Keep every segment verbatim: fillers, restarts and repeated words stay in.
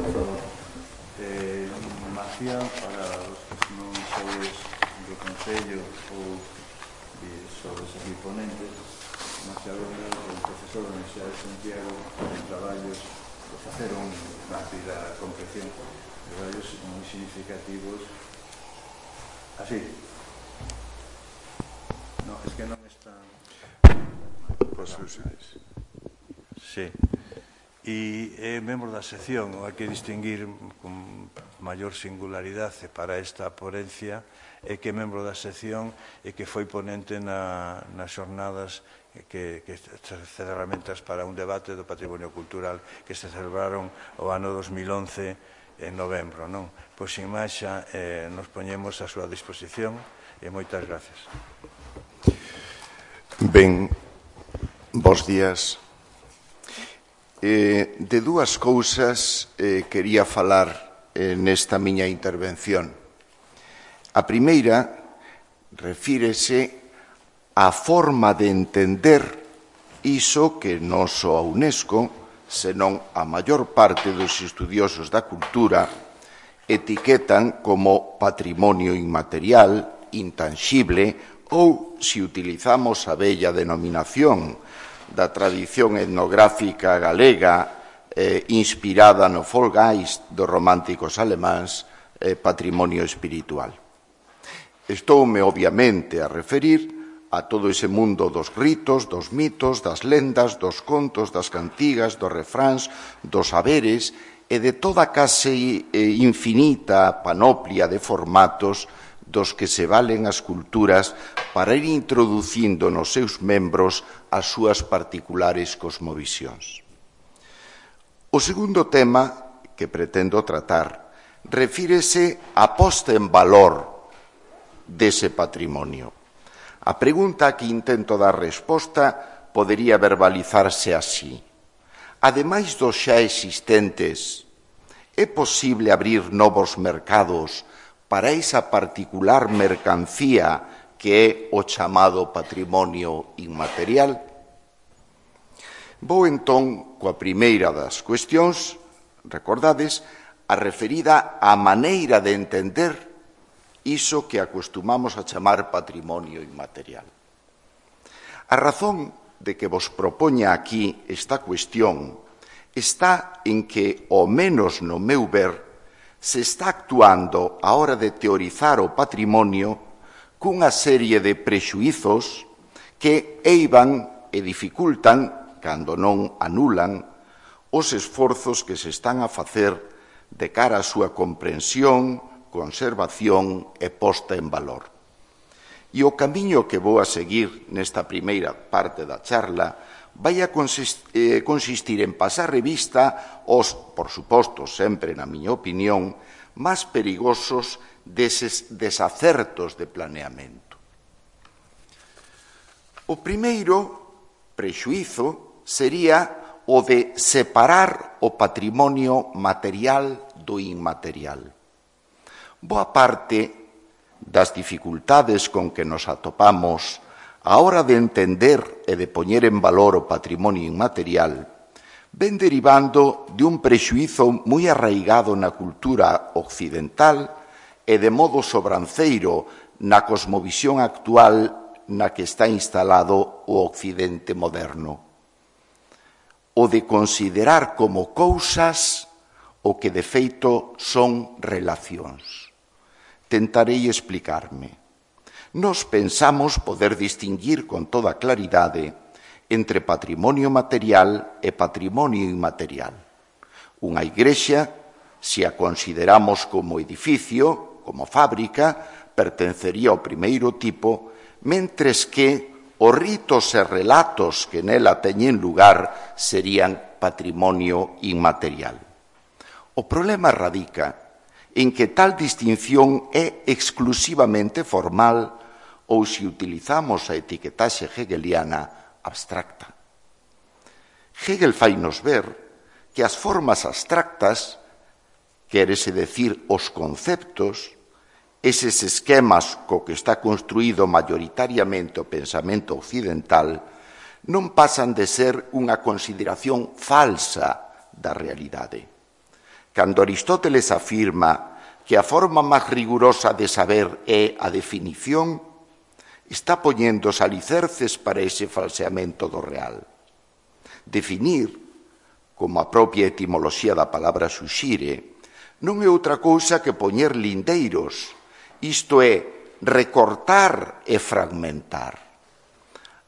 por favor. Eh, Macián, para os que non sois do Concello ou sois aquí ponentes, Macián Gómez, o profesor da Universidade de Santiago, en traballos de facer un rápida concreción, traballos moi significativos. Así. No, es que non está... Pois usáis. Sí. E é membro da sección, hai que distinguir con maior singularidade para esta ponencia, é que é membro da sección e que foi ponente na, nas xornadas que, que ferramentas para un debate do patrimonio cultural que se celebraron o ano dos mil once en novembro, non? Pois, sin máis, xa eh, nos poñemos a súa disposición e moitas gracias. Ben, bos días. Eh, de dúas cousas eh, quería falar eh, nesta miña intervención. A primeira refírese á forma de entender iso que non só a UNESCO, senón a maior parte dos estudiosos da cultura etiquetan como patrimonio inmaterial, intanxible, ou, se utilizamos a bella denominación da tradición etnográfica galega eh, inspirada no Folgeist dos románticos alemáns, eh, patrimonio espiritual. Estoume, obviamente, a referir a todo ese mundo dos ritos, dos mitos, das lendas, dos contos, das cantigas, dos refráns, dos saberes e de toda case eh, infinita panoplia de formatos dos que se valen as culturas para ir introducindo nos seus membros as súas particulares cosmovisións. O segundo tema que pretendo tratar refírese á posta en valor dese patrimonio. A pregunta que intento dar resposta podería verbalizarse así. Ademais dos xa existentes, é posible abrir novos mercados para esa particular mercancía que é o chamado patrimonio inmaterial? Vou entón coa primeira das cuestións, recordades, a referida á maneira de entender iso que acostumamos a chamar patrimonio inmaterial. A razón de que vos propoña aquí esta cuestión está en que, ao menos no meu ver, se está actuando a hora de teorizar o patrimonio cunha serie de prexuizos que eivan e dificultan, cando non anulan, os esforzos que se están a facer de cara á súa comprensión, conservación e posta en valor. E o camiño que vou a seguir nesta primeira parte da charla vai a consistir en pasar revista aos, por suposto, sempre na miña opinión, máis perigosos deses desacertos de planeamento. O primeiro prexuízo sería o de separar o patrimonio material do inmaterial. Boa parte das dificultades con que nos atopamos a hora de entender e de poñer en valor o patrimonio inmaterial ven derivando de un prexuízo moi arraigado na cultura occidental e de modo sobranceiro na cosmovisión actual na que está instalado o Occidente moderno. O de considerar como cousas o que de feito son relacións. Tentarei explicarme. Nos pensamos poder distinguir con toda claridade entre patrimonio material e patrimonio inmaterial. Unha igrexa, se a consideramos como edificio, como fábrica, pertencería ao primeiro tipo, mentres que os ritos e relatos que nela teñen lugar serían patrimonio inmaterial. O problema radica en que tal distinción é exclusivamente formal ou, se utilizamos a etiquetaxe hegeliana, abstracta. Hegel fainos ver que as formas abstractas, quérese decir os conceptos, eses esquemas co que está construído maioritariamente o pensamento occidental, non pasan de ser unha consideración falsa da realidade. Cando Aristóteles afirma que a forma máis rigurosa de saber é a definición, está poñendo os alicerces para ese falseamento do real. Definir, como a propia etimoloxía da palabra suxire, non é outra cousa que poñer lindeiros, isto é, recortar e fragmentar.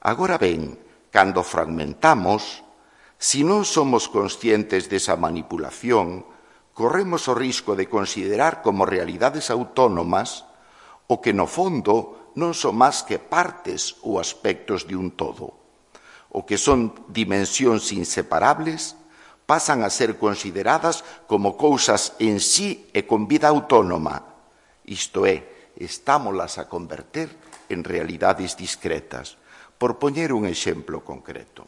Agora ben, cando fragmentamos, se non somos conscientes desa manipulación, corremos o risco de considerar como realidades autónomas o que no fondo non son máis que partes ou aspectos de un todo. O que son dimensións inseparables pasan a ser consideradas como cousas en sí e con vida autónoma. Isto é, estámolas a converter en realidades discretas. Por poñer un exemplo concreto,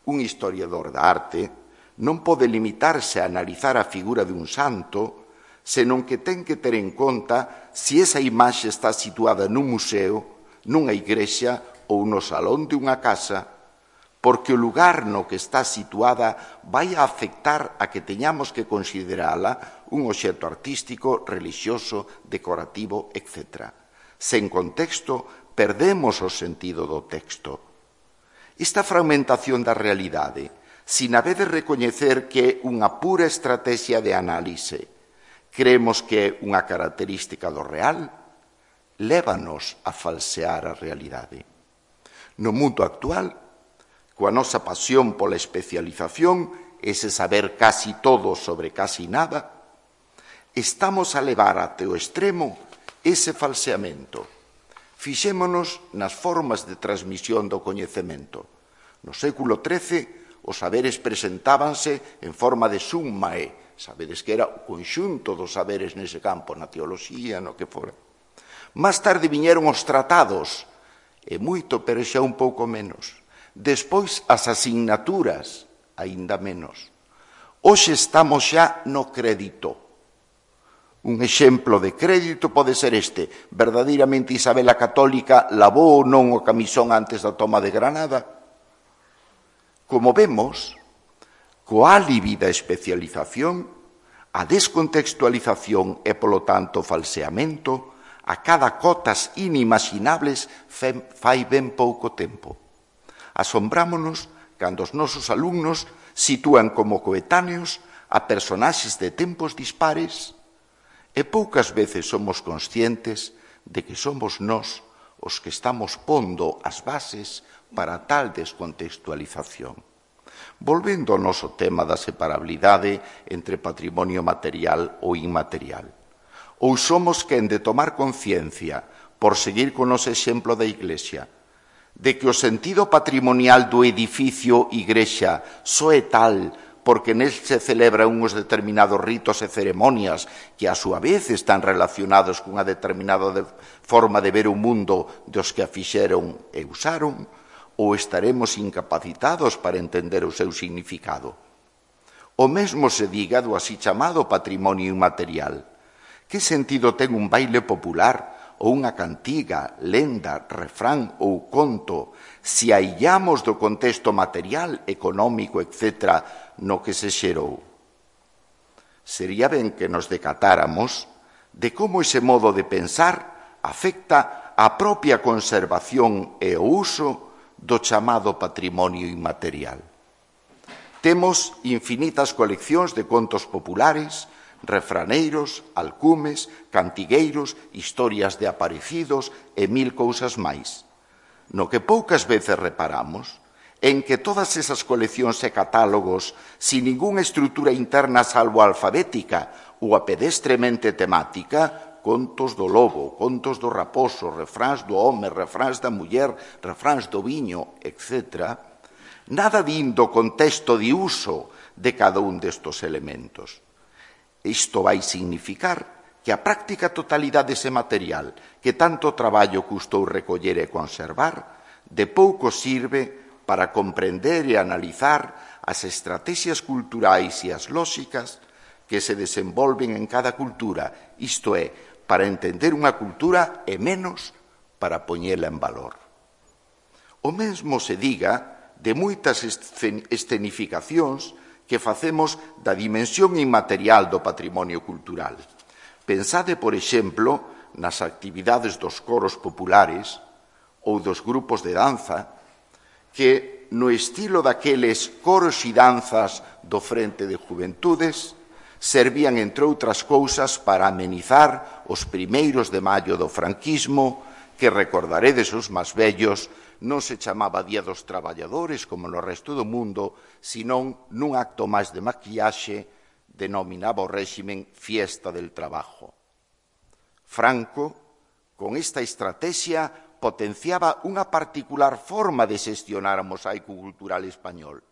un historiador da arte non pode limitarse a analizar a figura dun santo, senón que ten que ter en conta se esa imaxe está situada nun museo, nunha igrexa ou no salón de unha casa, porque o lugar no que está situada vai a afectar a que teñamos que considerala un obxecto artístico, relixioso, decorativo, etcétera. Sen contexto, perdemos o sentido do texto. Esta fragmentación da realidade, sin haber de recoñecer que é unha pura estrategia de análise, creemos que é unha característica do real, lévanos a falsear a realidade. No mundo actual, coa nosa pasión pola especialización, ese saber casi todo sobre casi nada, estamos a levar até o extremo ese falseamento. Fixémonos nas formas de transmisión do coñecemento. No século trece, os saberes presentábanse en forma de summa e, sabedes que era o conxunto dos saberes nese campo, na teoloxía, no que fora. Más tarde viñeron os tratados, e moito, pero xa un pouco menos. Despois as asignaturas, aínda menos. Hoxe estamos xa no crédito. Un exemplo de crédito pode ser este. Verdadeiramente Isabel a Católica lavou ou non o camisón antes da toma de Granada? Como vemos, coa alibi da especialización, a descontextualización e, polo tanto, falseamento, a cada cotas inimaginables fai ben pouco tempo. Asombrámonos cando os nosos alumnos sitúan como coetáneos a personaxes de tempos dispares e poucas veces somos conscientes de que somos nós os que estamos pondo as bases para tal descontextualización. Volvendo ao noso tema da separabilidade entre patrimonio material ou inmaterial. Ou somos quen de tomar conciencia, por seguir con os exemplo da Iglesia, de que o sentido patrimonial do edificio igrexa só é tal porque nel se celebran uns determinados ritos e ceremonias que a súa vez están relacionados cunha determinada de forma de ver o mundo dos que a fixeron e usaron, ou estaremos incapacitados para entender o seu significado. O mesmo se diga do así chamado patrimonio inmaterial. Que sentido ten un baile popular ou unha cantiga, lenda, refrán ou conto se aillamos do contexto material, económico, etcétera, no que se xerou? Sería ben que nos decatáramos de como ese modo de pensar afecta a propia conservación e o uso do chamado patrimonio inmaterial. Temos infinitas coleccións de contos populares, refraneiros, alcumes, cantigueiros, historias de aparecidos e mil cousas máis. No que poucas veces reparamos en que todas esas coleccións e catálogos, sin ningunha estrutura interna salvo alfabética ou a pedestremente temática, contos do lobo, contos do raposo, refráns do home, refráns da muller, refráns do viño, etcétera, nada din do contexto de uso de cada un destos elementos. Isto vai significar que a práctica totalidade dese material que tanto traballo custou recoller e conservar, de pouco sirve para comprender e analizar as estrategias culturais e as lóxicas que se desenvolven en cada cultura, isto é, para entender unha cultura e menos para poñela en valor. O mesmo se diga de moitas escenificacións que facemos da dimensión inmaterial do patrimonio cultural. Pensade, por exemplo, nas actividades dos coros populares ou dos grupos de danza que, no estilo daqueles coros e danzas do Frente de Juventudes, servían, entre outras cousas, para amenizar os primeiros de maio do franquismo, que recordaredes os máis vellos, non se chamaba Día dos Traballadores como no resto do mundo, senón nun acto máis de maquillaxe denominaba o réximen Fiesta del Trabajo. Franco, con esta estrategia, potenciaba unha particular forma de xestionar o mosaico cultural español,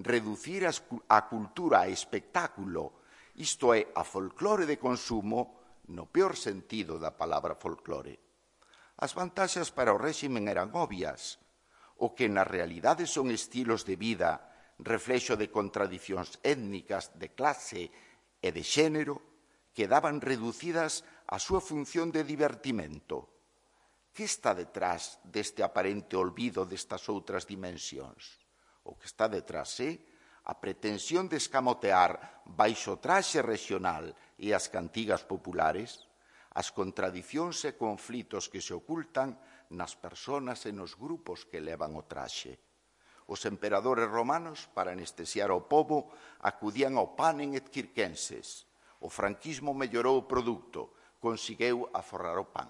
reducir a cultura a espectáculo, isto é, a folclore de consumo, no peor sentido da palabra folclore. As vantaxes para o réximen eran obvias. O que na realidade son estilos de vida, reflexo de contradicións étnicas, de clase e de xénero, quedaban reducidas á súa función de divertimento. Que está detrás deste aparente olvido destas outras dimensións? O que está detrás é a pretensión de escamotear baixo traxe regional e as cantigas populares as contradicións e conflitos que se ocultan nas persoas e nos grupos que levan o traxe. Os emperadores romanos, para anestesiar ao pobo, acudían ao panem et circenses. O franquismo mellorou o produto, conseguiu aforrar o pan.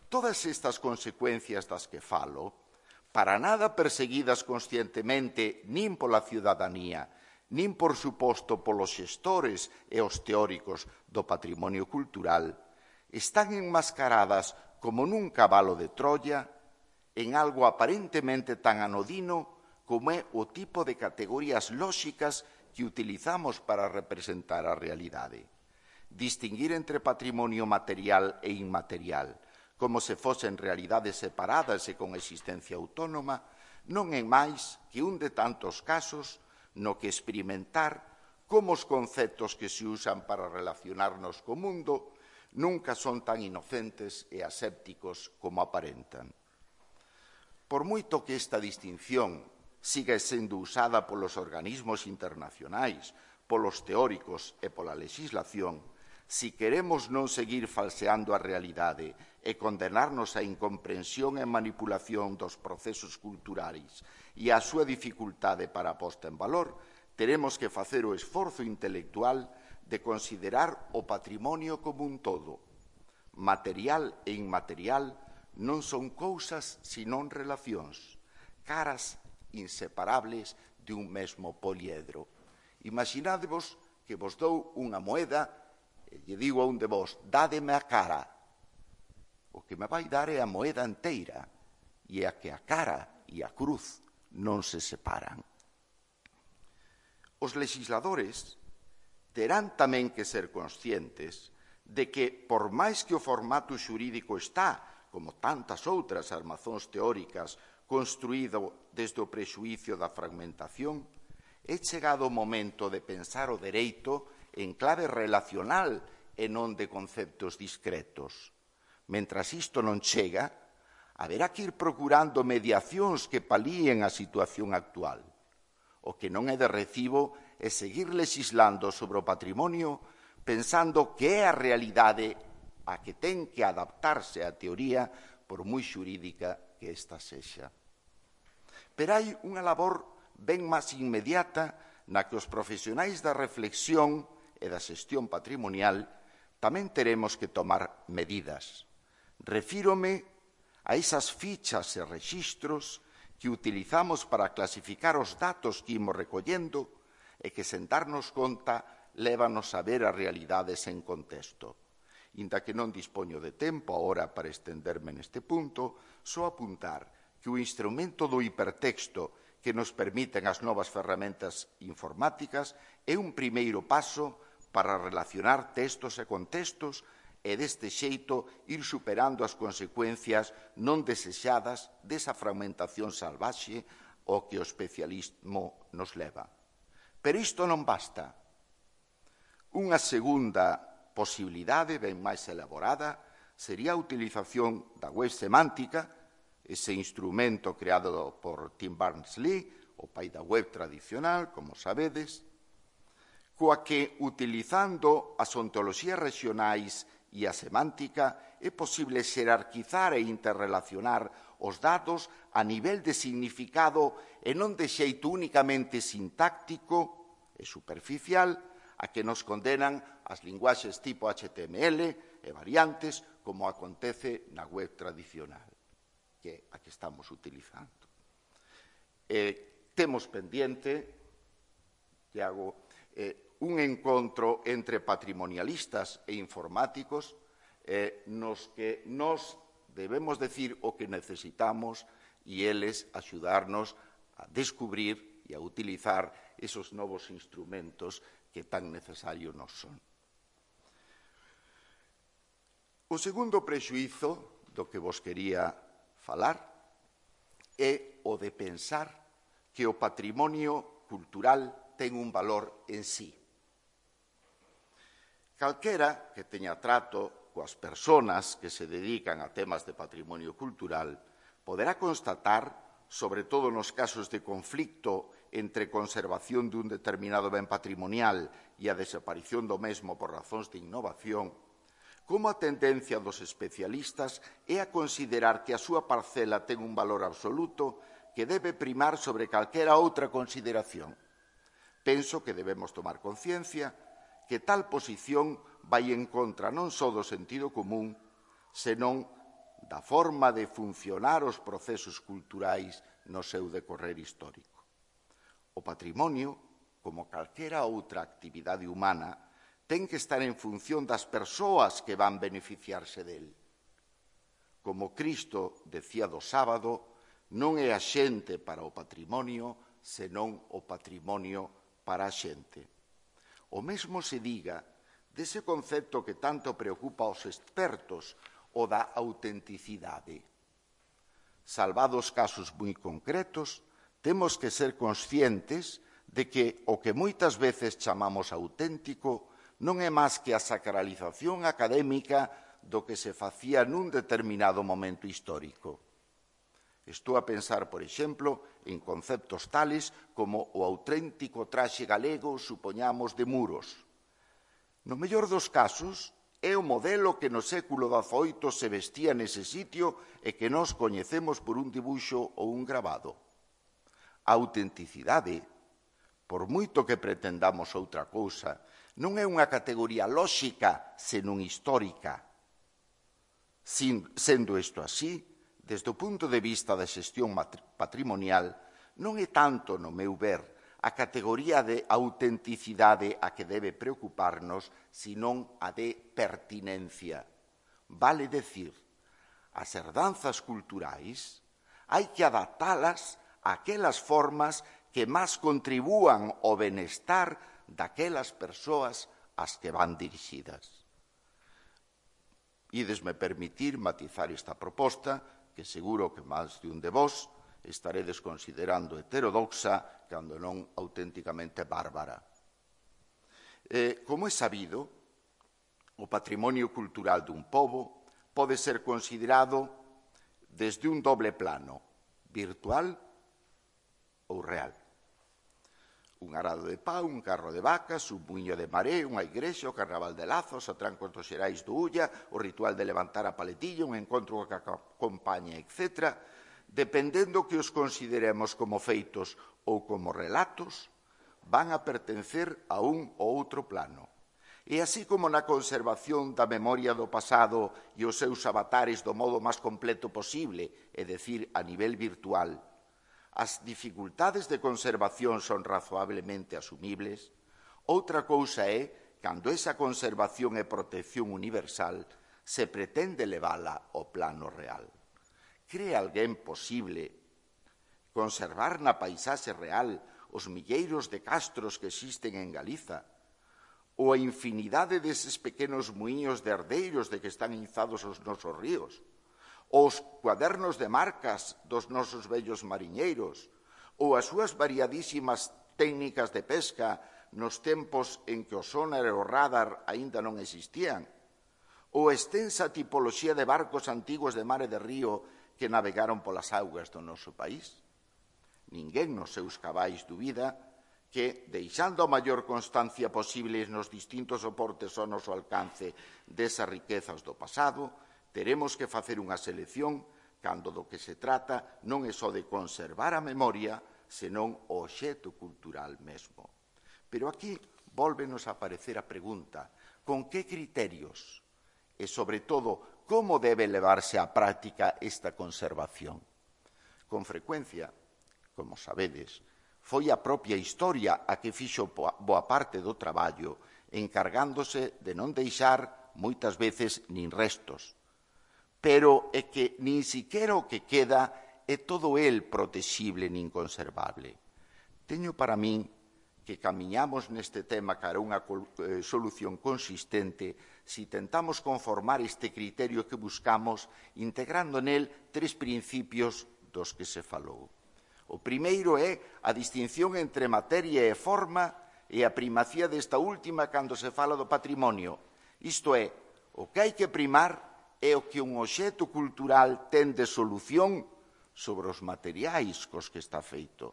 Todas estas consecuencias das que falo, para nada perseguidas conscientemente nin pola ciudadanía, nin, por suposto, polos xestores e os teóricos do patrimonio cultural, están enmascaradas como nun cabalo de Troia en algo aparentemente tan anodino como é o tipo de categorías lóxicas que utilizamos para representar a realidade. Distinguir entre patrimonio material e inmaterial, como se fosen realidades separadas e con existencia autónoma, non é máis que un de tantos casos no que experimentar como os conceptos que se usan para relacionarnos co mundo nunca son tan inocentes e asépticos como aparentan. Por moito que esta distinción siga sendo usada polos organismos internacionais, polos teóricos e pola legislación, si queremos non seguir falseando a realidade e condenarnos á incomprensión e manipulación dos procesos culturais e a súa dificultade para a posta en valor, teremos que facer o esforzo intelectual de considerar o patrimonio como un todo. Material e inmaterial non son cousas senón relacións, caras inseparables de un mesmo poliedro. Imaginádevos que vos dou unha moeda e lle digo a un de vos, dádeme a cara. O que me vai dar é a moeda inteira e a que a cara e a cruz non se separan. Os legisladores terán tamén que ser conscientes de que, por máis que o formato xurídico está, como tantas outras armazóns teóricas, construído desde o prexuízo da fragmentación, é chegado o momento de pensar o dereito en clave relacional e non de conceptos discretos. Mentras isto non chega, haberá que ir procurando mediacións que palíen a situación actual. O que non é de recibo é seguir legislando sobre o patrimonio pensando que é a realidade a que ten que adaptarse a teoría por moi xurídica que esta sexa. Pero hai unha labor ben máis inmediata na que os profesionais da reflexión e da xestión patrimonial tamén teremos que tomar medidas. Refírome a esas fichas e rexistros que utilizamos para clasificar os datos que imos recollendo e que, sen darnos conta, lévanos a ver as realidades en contexto. Inda que non dispoño de tempo agora para estenderme neste punto, só apuntar que o instrumento do hipertexto que nos permiten as novas ferramentas informáticas é un primeiro paso para relacionar textos e contextos e deste xeito ir superando as consecuencias non desexadas desa fragmentación salvaxe ao que o especialismo nos leva. Pero isto non basta. Unha segunda posibilidade, ben máis elaborada, sería a utilización da web semántica, ese instrumento creado por Tim Berners-Lee, o pai da web tradicional, como sabedes, coa que, utilizando as ontoloxías regionais e a semántica, é posible xerarquizar e interrelacionar os datos a nivel de significado e non de xeito únicamente sintáctico e superficial a que nos condenan as linguaxes tipo H T M L e variantes como acontece na web tradicional, que é a que estamos utilizando. Eh, temos pendiente, Iago, eh, un encontro entre patrimonialistas e informáticos eh, nos que nos debemos decir o que necesitamos e eles axudarnos a descubrir e a utilizar esos novos instrumentos que tan necesarios nos son. O segundo prexuízo do que vos quería falar é o de pensar que o patrimonio cultural ten un valor en sí. Calquera que teña trato coas persoas que se dedican a temas de patrimonio cultural poderá constatar, sobre todo nos casos de conflicto entre conservación dun determinado ben patrimonial e a desaparición do mesmo por razóns de innovación, como a tendencia dos especialistas é a considerar que a súa parcela ten un valor absoluto que debe primar sobre calquera outra consideración. Penso que debemos tomar conciencia que tal posición vai en contra non só do sentido común, senón da forma de funcionar os procesos culturais no seu decorrer histórico. O patrimonio, como calquera outra actividade humana, ten que estar en función das persoas que van beneficiarse del. Como Cristo decía do sábado, non é a xente para o patrimonio, senón o patrimonio para a xente. O mesmo se diga dese concepto que tanto preocupa aos expertos, o da autenticidade. Salvados casos moi concretos, temos que ser conscientes de que o que moitas veces chamamos auténtico non é máis que a sacralización académica do que se facía nun determinado momento histórico. Estou a pensar, por exemplo, en conceptos tales como o auténtico traxe galego, supoñamos, de Muros. No mellor dos casos, é o modelo que no século dezaoito se vestía nese sitio e que nós coñecemos por un dibuixo ou un grabado. A autenticidade, por moito que pretendamos outra cousa, non é unha categoría lóxica, senón histórica. Sendo isto así, desde o punto de vista da xestión patrimonial, non é tanto, no meu ver, a categoría de autenticidade a que debe preocuparnos, senón a de pertinencia. Vale decir, as herdanzas culturais hai que adaptalas a aquelas formas que máis contribúan ao benestar daquelas persoas ás que van dirixidas. Ídesme permitir matizar esta proposta, que seguro que máis de un de vós estaredes considerando heterodoxa, cando non auténticamente bárbara. Eh, como é sabido, o patrimonio cultural dun pobo pode ser considerado desde un doble plano, virtual ou real. Un arado de pau, un carro de vacas, un muiño de maré, unha igrexa, o carnaval de Lazos, a trancos dos Xerais do Ulla, o ritual de levantar a paletilla, un encontro que acompaña, etcétera, dependendo que os consideremos como feitos ou como relatos, van a pertencer a un ou outro plano. E así como na conservación da memoria do pasado e os seus avatares do modo máis completo posible, é dicir, a nivel virtual, as dificultades de conservación son razoablemente asumibles, outra cousa é, cando esa conservación e protección universal se pretende levala ao plano real. Cree alguén posible conservar na paisaxe real os milleiros de castros que existen en Galiza ou a infinidade deses pequenos muiños de herdeiros de que están inzados os nosos ríos, os cuadernos de marcas dos nosos vellos mariñeiros, ou as súas variadísimas técnicas de pesca nos tempos en que o sonar e o radar aínda non existían, ou a extensa tipoloxía de barcos antigos de mar e de río que navegaron polas augas do noso país. ninguén nos seus cabais dubida que, deixando a maior constancia posible nos distintos soportes ao noso alcance desas riquezas do pasado, teremos que facer unha selección cando do que se trata non é só de conservar a memoria, senón o obxecto cultural mesmo. Pero aquí vólvenos a aparecer a pregunta: con que criterios e, sobre todo, como debe levarse á práctica esta conservación? Con frecuencia, como sabedes, foi a propia historia a que fixo boa parte do traballo, encargándose de non deixar, moitas veces, nin restos. Pero é que nin siquera o que queda é todo el protexible nin conservable. Teño para min que camiñamos neste tema cara a unha eh, solución consistente si tentamos conformar este criterio que buscamos integrando nel tres principios dos que se falou. O primeiro é a distinción entre materia e forma e a primacía desta última cando se fala do patrimonio. Isto é, o que hai que primar é o que un obxecto cultural ten de solución sobre os materiais cos que está feito.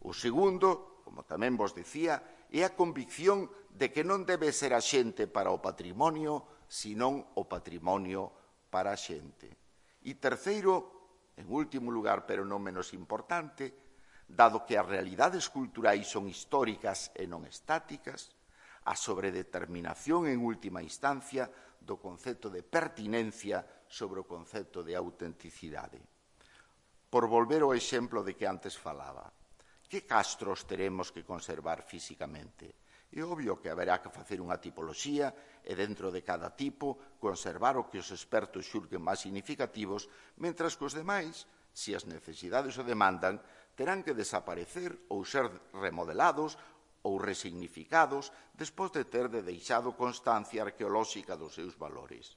O segundo, como tamén vos decía, é a convicción de que non debe ser a xente para o patrimonio, senón o patrimonio para a xente. E terceiro, en último lugar, pero non menos importante, dado que as realidades culturais son históricas e non estáticas, a sobredeterminación en última instancia do concepto de pertinencia sobre o concepto de autenticidade. Por volver ao exemplo de que antes falaba, que castros teremos que conservar físicamente? É obvio que haberá que facer unha tipoloxía e dentro de cada tipo conservar o que os expertos xulguen máis significativos, mentras que os demais, se as necesidades o demandan, terán que desaparecer ou ser remodelados ou resignificados despois de ter de deixado constancia arqueolóxica dos seus valores.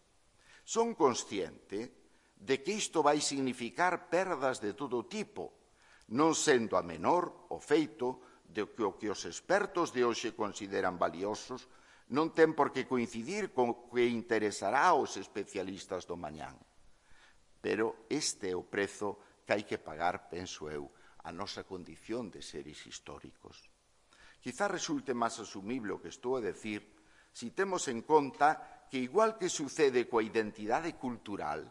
Son consciente de que isto vai significar perdas de todo tipo, non sendo a menor o feito de que o que os expertos de hoxe consideran valiosos non ten por que coincidir con o que interesará aos especialistas do mañán. Pero este é o prezo que hai que pagar, penso eu, a nosa condición de seres históricos. Quizá resulte máis asumible o que estou a decir si temos en conta que, igual que sucede coa identidade cultural,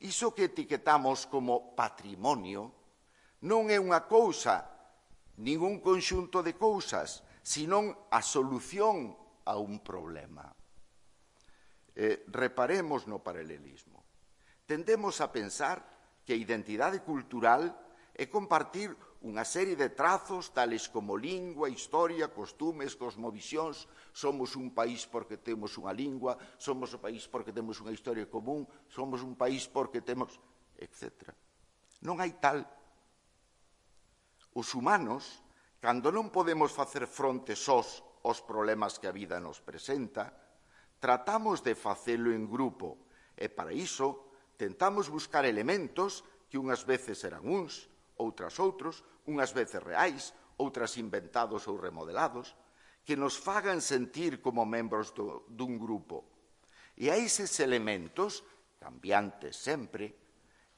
iso que etiquetamos como patrimonio non é unha cousa, nin un conxunto de cousas, senón a solución a un problema. Eh, reparemos no paralelismo. Tendemos a pensar que a identidade cultural é compartir unha serie de trazos tales como lingua, historia, costumes, cosmovisións. Somos un país porque temos unha lingua, somos un país porque temos unha historia común, somos un país porque temos, etcétera. Non hai tal. Os humanos, cando non podemos facer fronte sós aos problemas que a vida nos presenta, tratamos de facelo en grupo e, para iso, tentamos buscar elementos que unhas veces eran uns, outras outros, unhas veces reais, outras inventados ou remodelados, que nos fagan sentir como membros do, dun grupo. E a eses elementos, cambiantes sempre,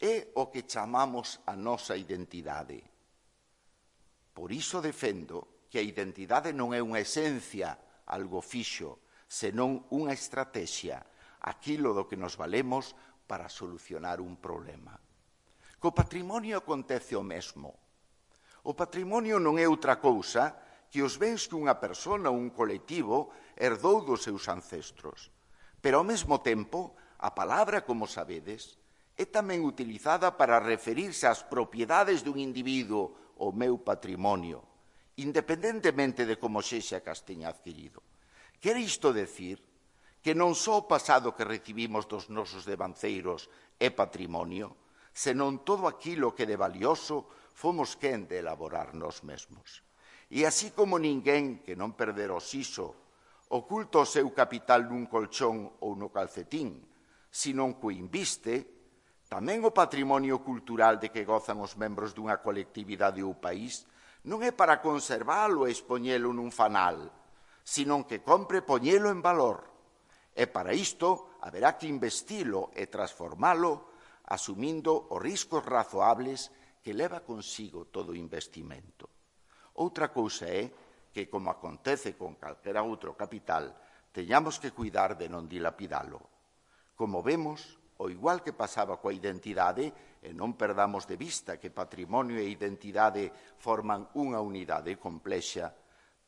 é o que chamamos a nosa identidade. Por iso defendo que a identidade non é unha esencia, algo fixo, senón unha estrategia, aquilo do que nos valemos para solucionar un problema. Co patrimonio acontece o mesmo. O patrimonio non é outra cousa que os bens que unha persona ou un colectivo herdou dos seus ancestros. Pero, ao mesmo tempo, a palabra, como sabedes, é tamén utilizada para referirse ás propiedades dun individuo, o meu patrimonio, independentemente de como sexa que as teña adquirido. Quere isto decir que non só o pasado que recibimos dos nosos devanceiros é patrimonio, senón todo aquilo que de valioso fomos quen de elaborar nós mesmos. E así como ninguén que non perdera o siso oculta o seu capital nun colchón ou no calcetín, senón que o inviste, tamén o patrimonio cultural de que gozan os membros dunha colectividade ou país non é para conservalo e expoñelo nun fanal, senón que compre poñelo en valor. E para isto haberá que investilo e transformalo asumindo os riscos razoables que leva consigo todo o investimento. Outra cousa é que, como acontece con calquera outro capital, teñamos que cuidar de non dilapidalo. Como vemos, o igual que pasaba coa identidade, e non perdamos de vista que patrimonio e identidade forman unha unidade complexa,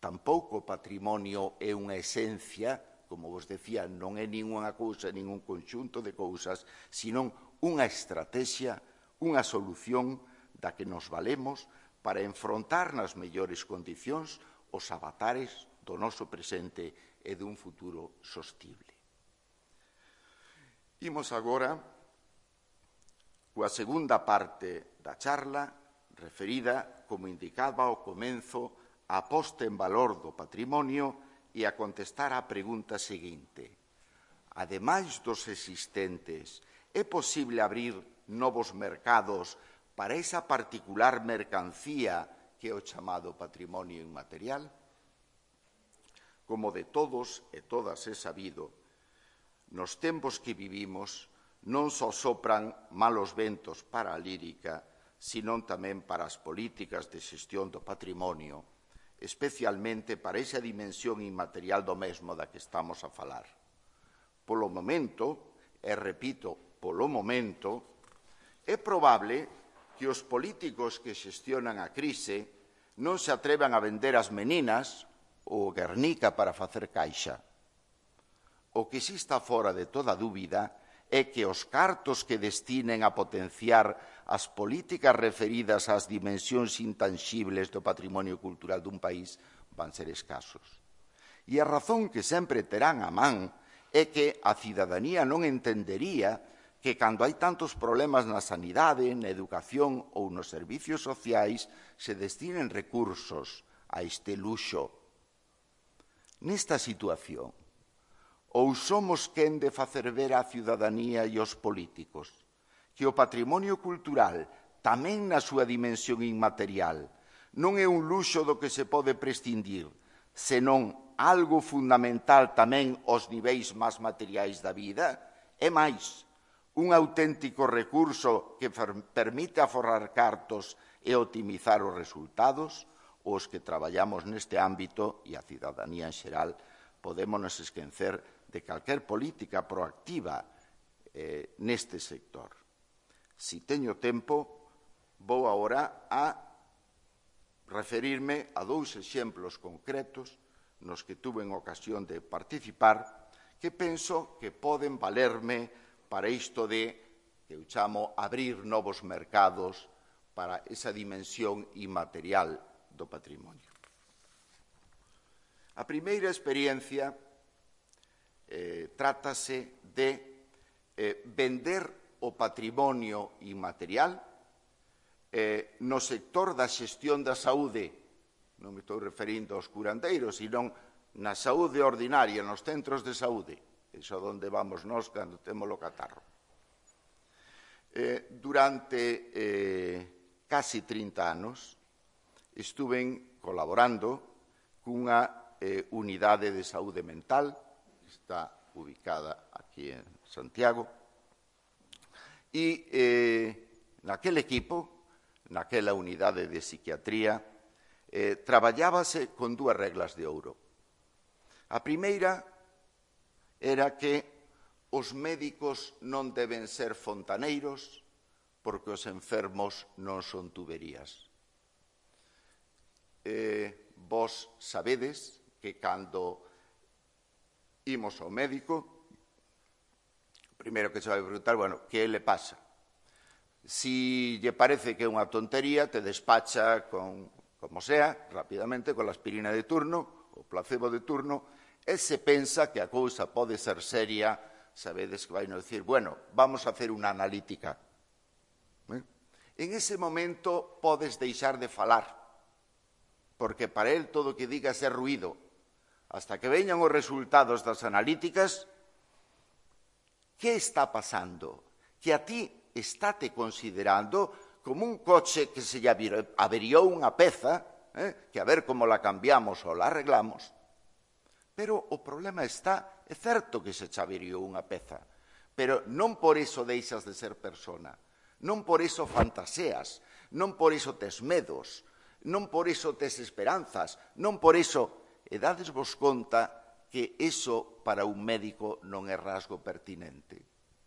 tampouco o patrimonio é unha esencia, como vos decía, non é ninguna cousa, ningún conxunto de cousas, senón unha estrategia, unha solución da que nos valemos para enfrontar nas mellores condicións os avatares do noso presente e dun futuro sostible. Imos agora coa segunda parte da charla, referida, como indicaba ao comenzo, a posta en valor do patrimonio e a contestar á pregunta seguinte. Ademais dos existentes, é posible abrir novos mercados para esa particular mercancía que é o chamado patrimonio inmaterial? Como de todos e todas é sabido, nos tempos que vivimos non só sopran malos ventos para a lírica, senón tamén para as políticas de xestión do patrimonio, especialmente para esa dimensión inmaterial do mesmo da que estamos a falar. Polo momento, e repito, polo momento, é probable que os políticos que xestionan a crise non se atrevan a vender as meninas ou Guernica para facer caixa. O que si está fora de toda dúbida é que os cartos que destinen a potenciar as políticas referidas ás dimensións intanxibles do patrimonio cultural dun país van ser escasos. E a razón que sempre terán a man é que a cidadanía non entendería que cando hai tantos problemas na sanidade, na educación ou nos servicios sociais se destinen recursos a este luxo. Nesta situación, ou somos quen de facer ver á cidadanía e aos políticos que o patrimonio cultural, tamén na súa dimensión inmaterial, non é un luxo do que se pode prescindir, senón algo fundamental tamén aos niveis máis materiais da vida? É máis, un auténtico recurso que permite aforrar cartos e optimizar os resultados? Os que traballamos neste ámbito e a cidadanía en xeral podemos nos esquecer de calquer política proactiva eh, neste sector. Si teño tempo, vou agora a referirme a dous exemplos concretos nos que tuve en ocasión de participar que penso que poden valerme para isto de, que eu chamo, abrir novos mercados para esa dimensión inmaterial do patrimonio. A primeira experiencia eh, trátase de eh, vender o patrimonio inmaterial eh, no sector da xestión da saúde. Non me estou referindo aos curandeiros, senón na saúde ordinaria, nos centros de saúde. Iso onde vamos nós cando temos o catarro. Eh, durante eh, casi trinta anos estuve colaborando cunha eh, unidade de saúde mental que está ubicada aquí en Santiago e eh, naquele equipo, naquela unidade de psiquiatría, eh, traballábase con dúas reglas de ouro. A primeira era que os médicos non deben ser fontaneiros porque os enfermos non son tuberías. Eh, vos sabedes que cando imos ao médico, primeiro que se vai preguntar, bueno, que le pasa? Si lle parece que é unha tontería, te despacha con, como sea, rapidamente, con la aspirina de turno, o placebo de turno, e se pensa que a cousa pode ser seria, sabedes que vai nos dicir, bueno, vamos a hacer unha analítica. ¿Eh? En ese momento podes deixar de falar, porque para él todo o que digas é ruído. Hasta que veñan os resultados das analíticas, que está pasando? Que a ti estáte considerando como un coche que se lle averiou unha peza, eh, que a ver como la cambiamos ou la arreglamos. Pero o problema está, é certo que se che averiou unha peza, pero non por iso deixas de ser persona, non por iso fantaseas, Non por iso tes medos, non por iso tes esperanzas, non por iso... E dadesvos conta que iso para un médico non é rasgo pertinente.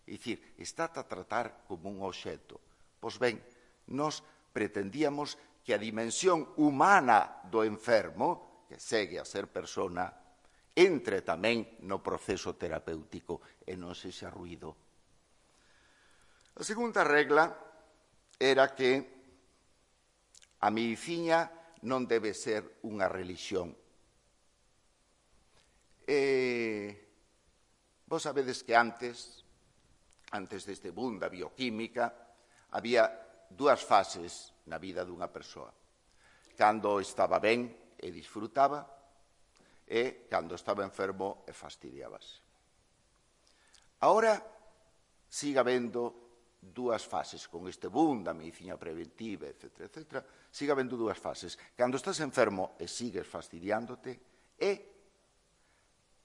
É dicir, está a tratar como un obxecto. Pois ben, nós pretendíamos que a dimensión humana do enfermo, que segue a ser persona, entre tamén no proceso terapéutico e non sexa ruído. A segunda regla era que a medicina non debe ser unha religión. E vos sabedes que antes, antes deste boom da bioquímica, había dúas fases na vida dunha persoa. Cando estaba ben e disfrutaba, e cando estaba enfermo e fastidiábase. Ahora siga habendo dúas fases, con este boom da medicina preventiva, etcétera, etcétera, siga habendo dúas fases. Cando estás enfermo e sigues fastidiándote, e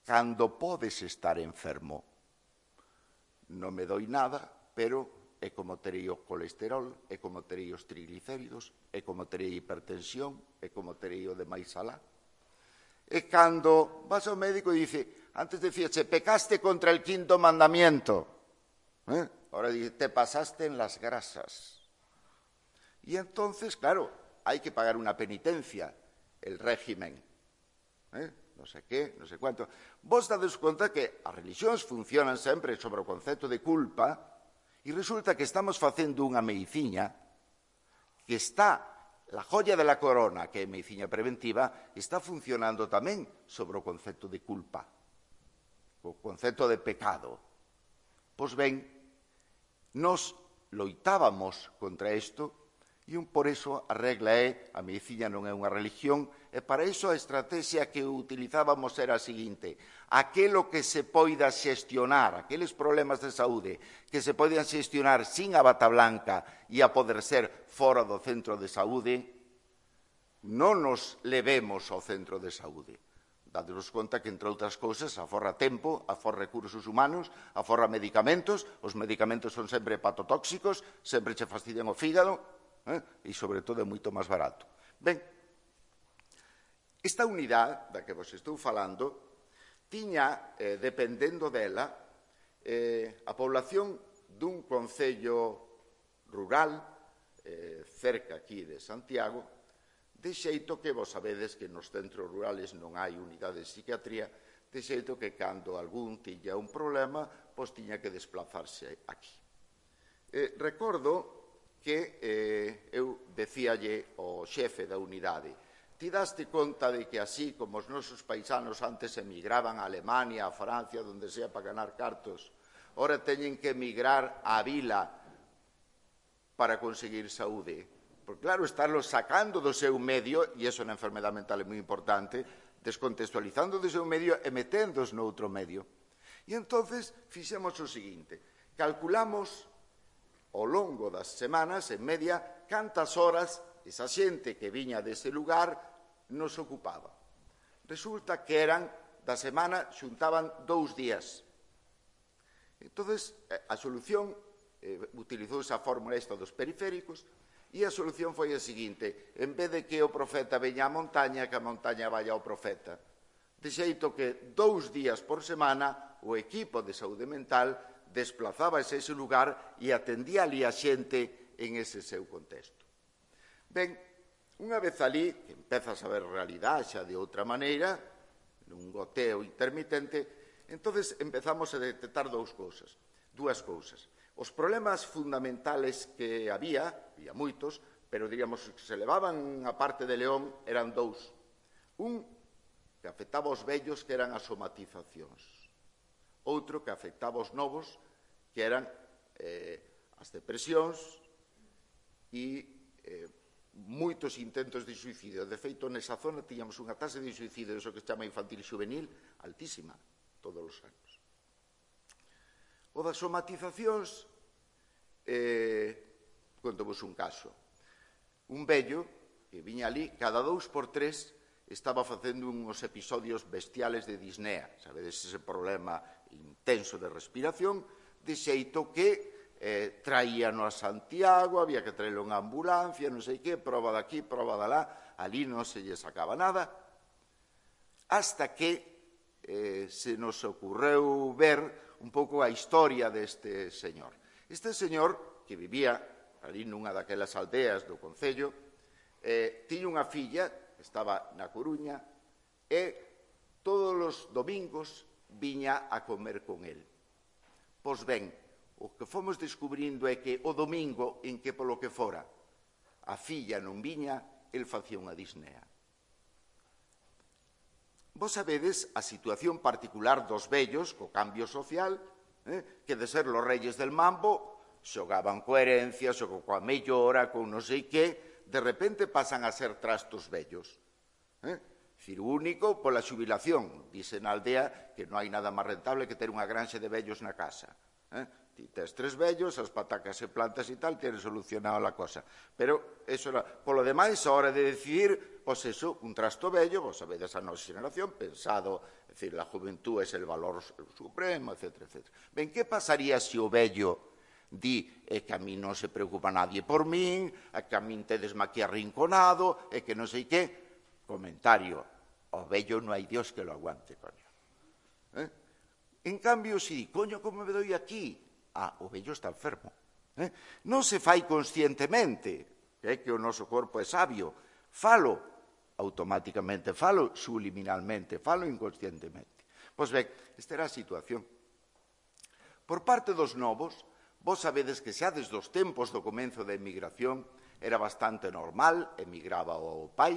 cando podes estar enfermo. Non me doi nada, pero é como terei o colesterol, é como terei os triglicéridos, é como terei hipertensión, é como terei o demais alá. E cando vas ao médico e dice, antes decíache, pecaste contra el quinto mandamiento. ¿Eh? Ahora dice, te pasaste en las grasas. Y entonces, claro, hai que pagar unha penitencia, el régimen. ¿Eh? Non sei que, non sei cuánto. Vos dades conta que as religións funcionan sempre sobre o concepto de culpa e resulta que estamos facendo unha medicina que está, la joya de la corona, que é medicina preventiva, está funcionando tamén sobre o concepto de culpa, o concepto de pecado. Pois ben, nos loitábamos contra isto e un por iso a regla é a medicina non é unha religión e para iso a estrategia que utilizábamos era a seguinte: aquelo que se poida xestionar, aqueles problemas de saúde que se poidan xestionar sin a bata blanca e a poder ser fora do centro de saúde, non nos levemos ao centro de saúde. Dadevos conta que, entre outras cousas, aforra tempo, aforra recursos humanos, aforra medicamentos, os medicamentos son sempre hepatotóxicos, sempre che fastidian o fígado, Eh? e, sobre todo, é moito máis barato. Ben, esta unidade da que vos estou falando tiña, eh, dependendo dela, eh, a población dun concello rural, eh, cerca aquí de Santiago, de xeito que vos sabedes que nos centros rurales non hai unidade de psiquiatría, de xeito que cando algún tiña un problema, pois tiña que desplazarse aquí. Eh, recordo que eh, eu decíalle ao xefe da unidade, ti daste conta de que así como os nosos paisanos antes emigraban a Alemania, a Francia, donde sea para ganar cartos, ora teñen que emigrar á vila para conseguir saúde. Porque claro, estarlos sacando do seu medio, e iso na enfermedade mental é moi importante, descontextualizando do seu medio e meténdos no outro medio. E entonces fixemos o seguinte, calculamos ao longo das semanas, en media, cantas horas esa xente que viña dese lugar nos ocupaba. Resulta que eran, da semana, xuntaban dous días. Entón, a solución, eh, utilizou esa fórmula esta dos periféricos, e a solución foi a seguinte, en vez de que o profeta veña á montaña, que a montaña vaya ao profeta. De xeito que dous días por semana o equipo de saúde mental desplazábase a ese lugar e atendía ali a xente en ese seu contexto. Ben, unha vez ali, que empezas a ver realidade xa de outra maneira, nun goteo intermitente, entonces empezamos a detectar dous cousas, dúas cousas. Os problemas fundamentales que había, había moitos, pero diríamos que se levaban a parte de León eran dous. Un que afectaba aos vellos, que eran as somatizacións. Outro que afectaba aos novos, que eran eh, as depresións e eh, moitos intentos de suicidio. De feito, nesa zona tiñamos unha tasa de suicidio, eso que se chama infantil juvenil, altísima, todos os anos. O das somatizacións, eh, contovos un caso. Un vello que viña ali, cada dous por tres, estaba facendo uns episodios bestiales de disnea, sabedes, ese problema intenso de respiración, de xeito que eh, traíano a Santiago, había que traerlo en ambulancia, non sei que, proba daqui, proba dalá, ali non se lle sacaba nada, hasta que eh, se nos ocurreu ver un pouco a historia deste señor. Este señor, que vivía ali nunha daquelas aldeas do concello, eh, tiña unha filla, estaba na Coruña, e todos os domingos viña a comer con el. Pois ben, o que fomos descubrindo é que o domingo en que polo que fora a filla non viña, el facía unha disnea. Vos sabedes a situación particular dos vellos co cambio social, eh, que de ser los reyes del mambo xogaban coa herencia, xogaban coa mellora, con non sei que, de repente pasan a ser trastos vellos. Eh? Dicir, único pola xubilación. Dice na aldea que non hai nada máis rentable que ter unha granxa de vellos na casa. Eh? Ti tes tres vellos, as patacas e plantas e tal, tienes solucionado a cosa. Pero, eso era, polo demais, a hora de decidir, pois eso, un trasto vello, vos sabedes a nosa generación, pensado, é dicir, la juventud é el valor supremo, etcétera, etcétera. Ben, que pasaría se o vello di é que a mí non se preocupa nadie por min, é que a min tedesme aquí arrinconado, é que non sei que. Comentario, o vello non hai Dios que lo aguante, coño. Eh? En cambio, si di, coño, como me doi aquí? Ah, o vello está enfermo. Eh? Non se fai conscientemente, que é que o noso corpo é sabio. Falo automáticamente, falo subliminalmente, falo inconscientemente. Pois ben, esta era a situación. Por parte dos novos, vos sabedes que xa desde os tempos do comenzo da emigración era bastante normal, emigraba o pai,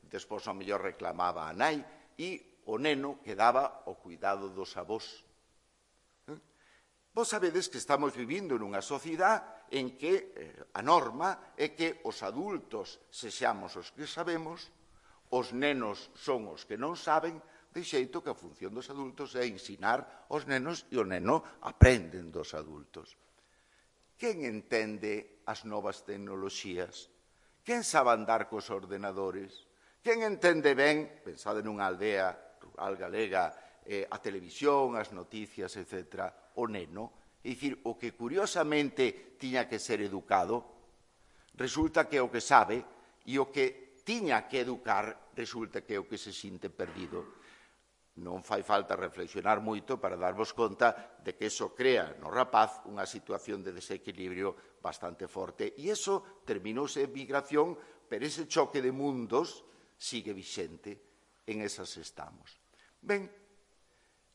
despois ao mellor reclamaba a nai, e o neno quedaba ao cuidado dos avós. Eh? Vos sabedes que estamos vivindo nunha sociedade en que eh, a norma é que os adultos sexamos os que sabemos, os nenos son os que non saben, de xeito que a función dos adultos é ensinar aos nenos e o neno aprenden dos adultos. Quen entende as novas tecnoloxías? Quen sabe andar cos ordenadores? Quen entende ben, pensade nunha aldea rural galega, eh, a televisión, as noticias, etcétera, o neno? É dicir, o que curiosamente tiña que ser educado, resulta que é o que sabe, e o que tiña que educar, resulta que é o que se sinte perdido. Non fai falta reflexionar moito para darvos conta de que iso crea no rapaz unha situación de desequilibrio bastante forte. E iso terminouse en migración, pero ese choque de mundos sigue vixente, en esas estamos. Ben,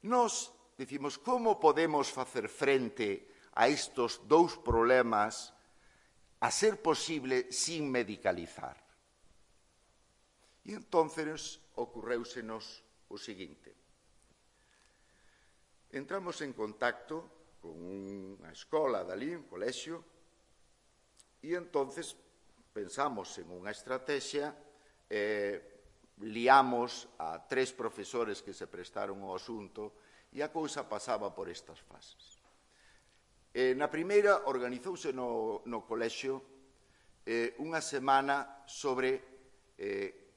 nos dicimos, como podemos facer frente a estos dous problemas a ser posible sin medicalizar? E entonces ocurréusenos o seguinte. Entramos en contacto con unha escola dali, un colexio, e entonces pensamos en unha estrategia, eh, liamos a tres profesores que se prestaron ao asunto e a cousa pasaba por estas fases. Eh, na primeira, organizouse no, no colexio eh, unha semana sobre eh,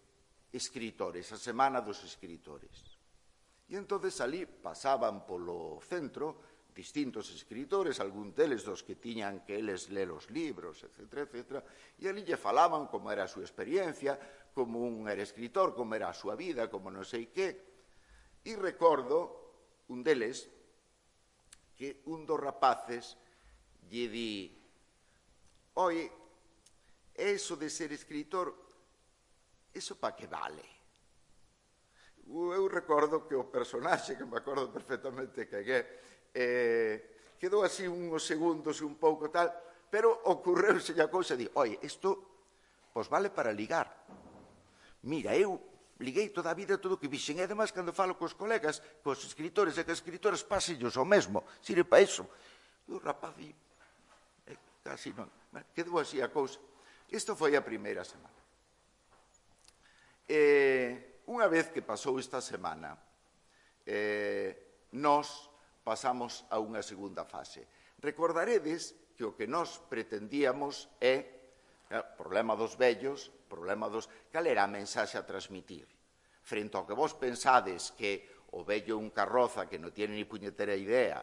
escritores, a semana dos escritores. E entonces ali pasaban polo centro distintos escritores, algún deles dos que tiñan que eles ler os libros, etcétera, etcétera, e ali lle falaban como era a súa experiencia, como un era escritor, como era a súa vida, como non sei que. E recordo un deles que un dos rapaces lle di: «Oi, eso de ser escritor, eso pa que vale?» Eu recordo que o personaxe, que me acordo perfectamente que é, eh, quedou así uns segundos un pouco tal, pero ocurreuse a cousa e di: «Oi, isto pois vale para ligar. Mira, eu liguei toda a vida todo o que vixen, e además cando falo cos colegas, cos escritores e cos escritores, pasillos o mesmo, sirve para iso». E o rapaz di, eh, casi non, quedou así a cousa. Isto foi a primeira semana. Eh, unha vez que pasou esta semana, eh, nós pasamos a unha segunda fase. Recordaredes que o que nós pretendíamos é, eh, problema dos vellos, problema dos... Cal era a mensaxe a transmitir? Frente ao que vos pensades que o vello é un carroza que non tiene ni puñetera idea,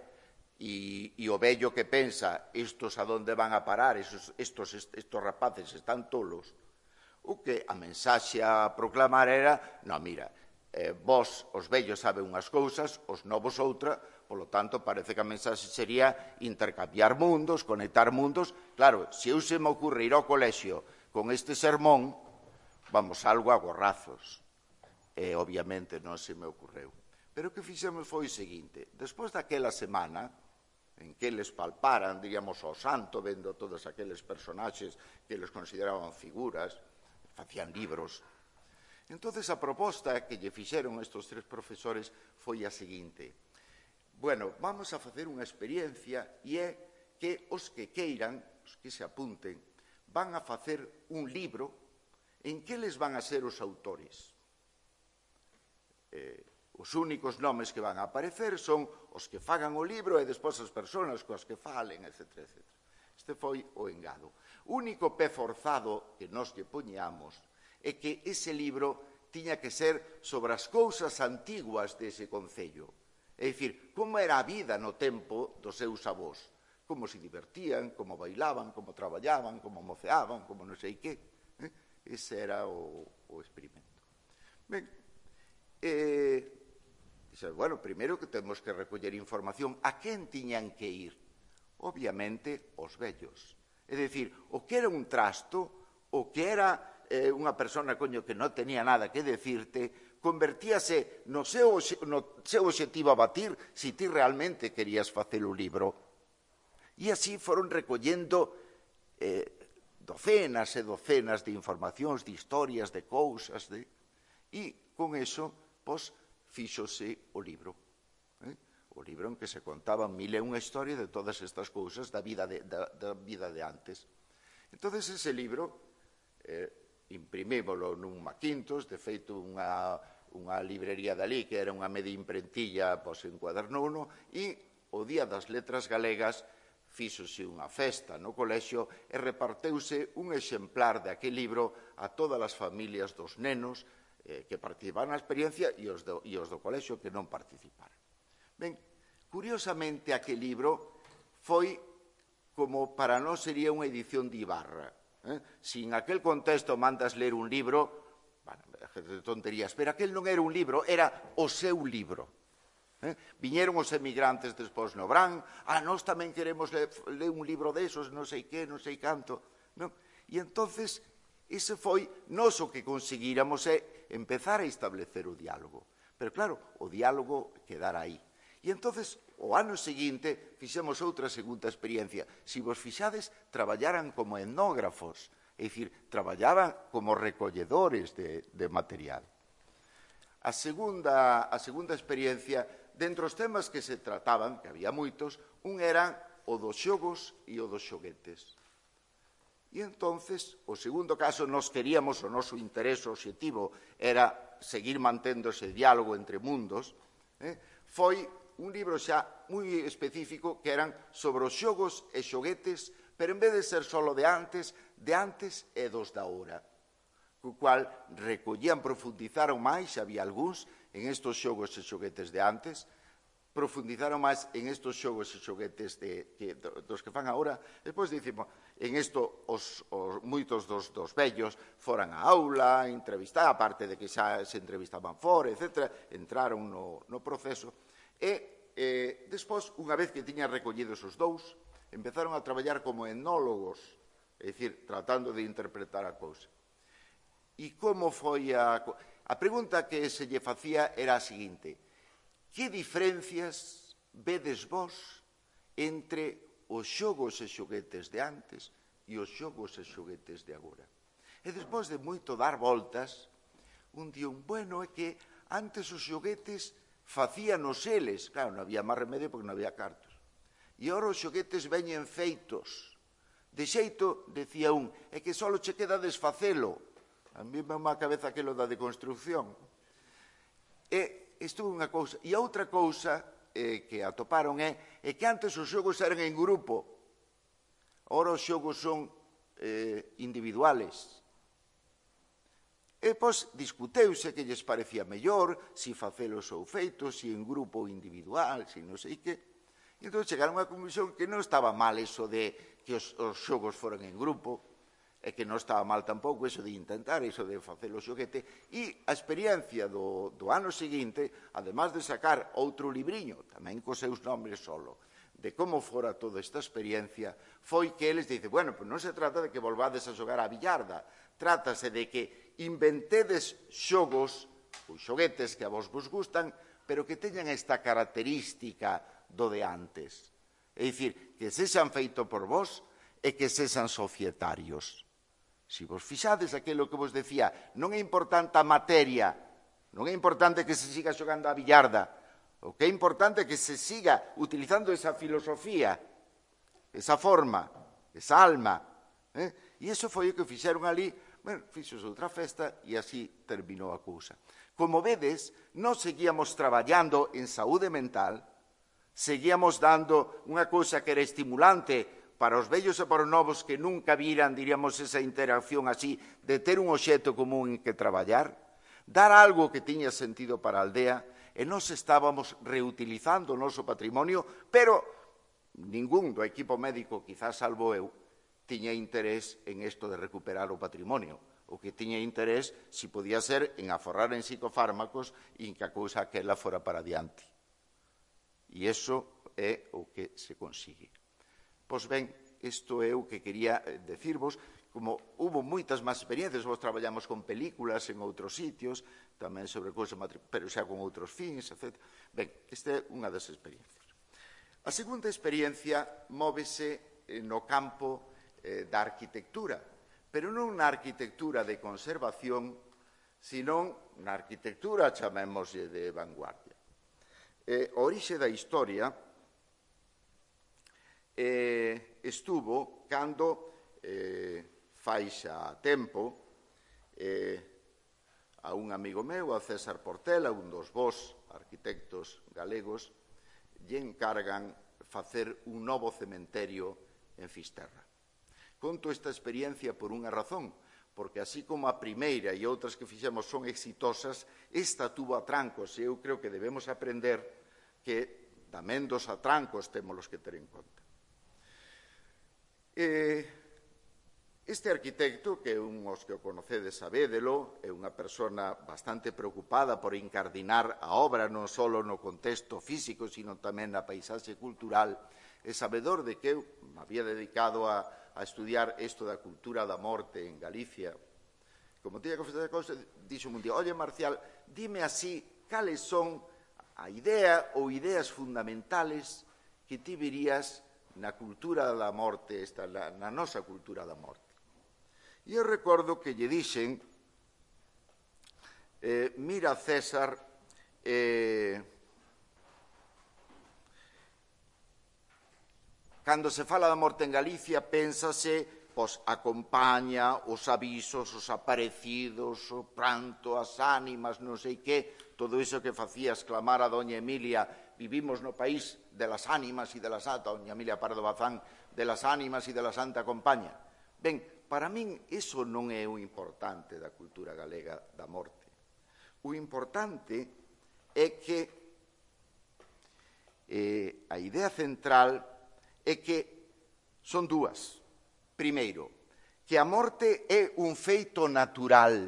E, e o vello que pensa, estos a donde van a parar, estos, estos, estos rapaces están tolos, o que a mensaxe a proclamar era, non, mira, eh, vos, os vellos, saben unhas cousas, os novos outra, polo tanto, parece que a mensaxe sería intercambiar mundos, conectar mundos. Claro, se eu se me ocurre ir ao colexio con este sermón, vamos, algo a gorrazos. E, obviamente, non se me ocurreu. Pero o que fixemos foi o seguinte, despois daquela semana, en que eles palparan, digamos, ao santo, vendo todos aqueles personaxes que eles consideraban figuras, facían libros. Entonces, a proposta que lle fixeron estes tres profesores foi a seguinte. Bueno, vamos a facer unha experiencia e é que os que queiran, os que se apunten, van a facer un libro en que les van a ser os autores. Eh, Os únicos nomes que van a aparecer son os que fagan o libro e despois as persoas coas que falen, etcétera, etcétera. Este foi o engado. O único pé forzado que nós lle poñamos é que ese libro tiña que ser sobre as cousas antiguas dese concello. É dicir, como era a vida no tempo dos seus avós. Como se divertían, como bailaban, como traballaban, como moceaban, como non sei que. Eh? Ese era o, o experimento. Ben, eh... Bueno, primeiro que temos que recoller información a quen tiñan que ir. Obviamente, os vellos. É dicir, o que era un trasto, o que era eh, unha persona, coño, que non tenía nada que decirte, convertíase no seu, no seu objetivo a batir se ti realmente querías facer o libro. E así foron recollendo eh, docenas e docenas de informacións, de historias, de cousas, de... e con eso, pois, fíxose o libro. Eh? O libro en que se contaban mil e unha historia de todas estas cousas da vida de, da, da vida de antes. Entón, ese libro eh, imprimímolo nun Macintosh, de feito unha, unha librería dali, que era unha media imprentilla, pois encuadernouno, e o Día das Letras Galegas fíxose unha festa no colexio e reparteuse un exemplar de aquel libro a todas as familias dos nenos que participaron na experiencia e os, do, e os do colexio que non participaron. Ben, curiosamente, aquel libro foi como para nós sería unha edición de Ibarra. Eh? Si en aquel contexto mandas ler un libro, bueno, de tonterías, pero aquel non era un libro, era o seu libro. Eh? Viñeron os emigrantes despois no Brán, ah, nós tamén queremos ler, ler un libro desos, non sei que, non sei canto. Non? E entonces... Ese foi nós o que conseguíramos é empezar a establecer o diálogo. Pero claro, o diálogo quedara aí. E entonces, o ano seguinte, fixemos outra segunda experiencia. Se vos fixades, traballaran como etnógrafos, é dicir, traballaban como recolledores de, de material. A segunda, a segunda experiencia, dentro dos temas que se trataban, que había moitos, un era o dos xogos e o dos xoguetes. E entonces, o segundo caso, nós queríamos, o noso interés obxectivo era seguir mantendo ese diálogo entre mundos, eh, foi un libro xa moi específico que eran sobre os xogos e xoguetes, pero en vez de ser solo de antes, de antes e dos da hora, co cual recollían, profundizaron máis, había algúns, en estos xogos e xoguetes de antes, profundizaron máis en estos xogos e xoguetes de, que, dos que fan agora. Despois dicimos, en isto os, os, moitos dos, dos vellos foran á aula, entrevistar, aparte de que xa se entrevistaban fora, etcétera, entraron no, no proceso. E eh, despois, unha vez que tiñan recollidos os dous, empezaron a traballar como etnólogos, é dicir, tratando de interpretar a cousa. E como foi a... A pregunta que se lle facía era a seguinte: que diferencias vedes vos entre os xogos e xoguetes de antes e os xogos e xoguetes de agora? E despois de moito dar voltas, un día un bueno é que antes os xoguetes facíanos eles, claro, non había máis remedio porque non había cartos. E agora os xoguetes veñen feitos. De xeito, decía un, é que só che queda desfacelo. A mí me má cabeza aquilo da deconstrucción. E isto é unha cousa. E a outra cousa eh, que atoparon é, é que antes os xogos eran en grupo. Agora os xogos son eh, individuales. E, pois, discuteuse que lles parecía mellor, si facelos ou feitos, si en grupo ou individual, si non sei que. E entón chegaron a conclusión que non estaba mal eso de que os, os xogos foran en grupo, e que non estaba mal tampouco eso de intentar, eso de facer o xoguete, e a experiencia do, do ano seguinte, además de sacar outro libriño, tamén cos seus nombres solo, de como fora toda esta experiencia, foi que eles dicen, bueno, pues non se trata de que volvades a xogar a billarda, trátase de que inventedes xogos, ou xoguetes que a vos vos gustan, pero que teñan esta característica do de antes. É dicir, que sexan feito por vos e que sexan societarios. Se vos fixades aquilo que vos decía, non é importante a materia, non é importante que se siga xogando a billarda, o que é importante é que se siga utilizando esa filosofía, esa forma, esa alma. Eh? E iso foi o que fixeron ali, bueno, fixos outra festa e así terminou a cousa. Como vedes, non seguíamos traballando en saúde mental, seguíamos dando unha cousa que era estimulante para os vellos e para os novos que nunca viran, diríamos, esa interacción así, de ter un obxecto común en que traballar, dar algo que tiña sentido para a aldea, e nós estábamos reutilizando o noso patrimonio, pero ningún do equipo médico, quizás salvo eu, tiña interés en isto de recuperar o patrimonio. O que tiña interés, si podía ser, en aforrar en psicofármacos e en que a cousa aquela fora para diante. E iso é o que se consigue. Pois ben, isto é o que quería decirvos, como hubo moitas máis experiencias, vos traballamos con películas en outros sitios, tamén sobre cousas, pero xa con outros fins, etcétera. Ben, esta é unha das experiencias. A segunda experiencia móvese no campo eh, da arquitectura, pero non na arquitectura de conservación, sino na arquitectura, chamémoslle, de vanguardia. Eh, a orixe da historia eh, estuvo cando eh, fai xa tempo eh, a un amigo meu, a César Portela, un dos vós arquitectos galegos, lle encargan facer un novo cementerio en Fisterra. Conto esta experiencia por unha razón, porque así como a primeira e outras que fixemos son exitosas, esta tuvo atrancos e eu creo que debemos aprender que tamén dos atrancos temos que ter en conta. Este arquitecto, que un os que o conocedes sabédelo, é unha persona bastante preocupada por incardinar a obra non só no contexto físico, sino tamén na paisaxe cultural, é sabedor de que eu me había dedicado a, a estudiar isto da cultura da morte en Galicia. Como tiña que facer a cousa, dixo un día, oye, Marcial, dime así, cales son a idea ou ideas fundamentales que ti verías na cultura da morte, esta, na, na nosa cultura da morte. E eu recordo que lle dixen, eh, mira, César, eh, cando se fala da morte en Galicia, pénsase, pois, a compaña, os avisos, os aparecidos, o pranto, as ánimas, non sei que, todo iso que facía exclamar a doña Emilia, vivimos no país de las ánimas e de la santa, doña Emilia Pardo Bazán, de las ánimas e de la santa compaña. Ben, para min, iso non é o importante da cultura galega da morte. O importante é que eh, a idea central é que son dúas. Primeiro, que a morte é un feito natural.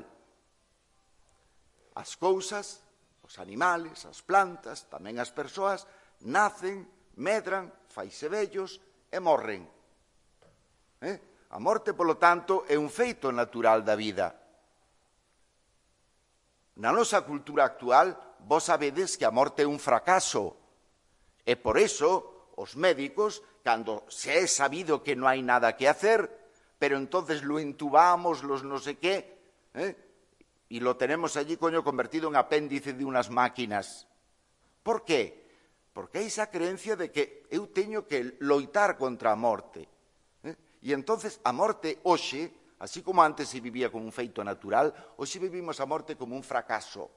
As cousas, os animales, as plantas, tamén as persoas, nacen, medran, faise vellos e morren. Eh? A morte, polo tanto, é un feito natural da vida. Na nosa cultura actual, vos sabedes que a morte é un fracaso. E por eso, os médicos, cando se é sabido que non hai nada que hacer, pero entonces lo entubamos, los no sé qué, ¿eh? Y lo tenemos allí, coño, convertido en apéndice de unas máquinas. Por qué? Porque hai esa creencia de que eu teño que loitar contra a morte. ¿eh? E entonces a morte hoxe, así como antes se vivía como un feito natural, hoxe vivimos a morte como un fracaso.